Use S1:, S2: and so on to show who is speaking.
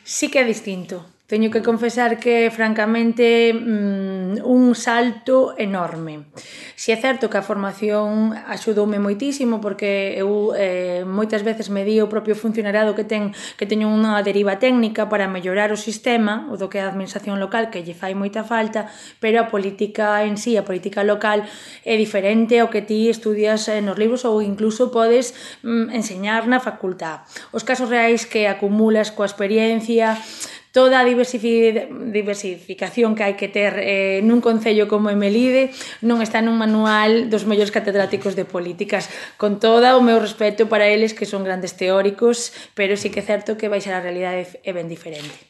S1: Sí que é distinto. Teño que confesar que, francamente, un salto enorme. Si é certo que a formación axudoume moitísimo porque eu moitas veces medí o propio funcionariado que teño unha deriva técnica para mellorar o sistema, o do que é a administración local, que lle fai moita falta, pero a política en sí, a política local, é diferente ao que ti estudias nos libros ou incluso podes enseñar na facultad. Os casos reais que acumulas coa experiencia, toda a diversificación que hai que ter nun concello como Melide non está nun manual dos mellores catedráticos de políticas, con todo o meu respeto para eles que son grandes teóricos, pero sí que é certo que baixar a realidade é ben diferente.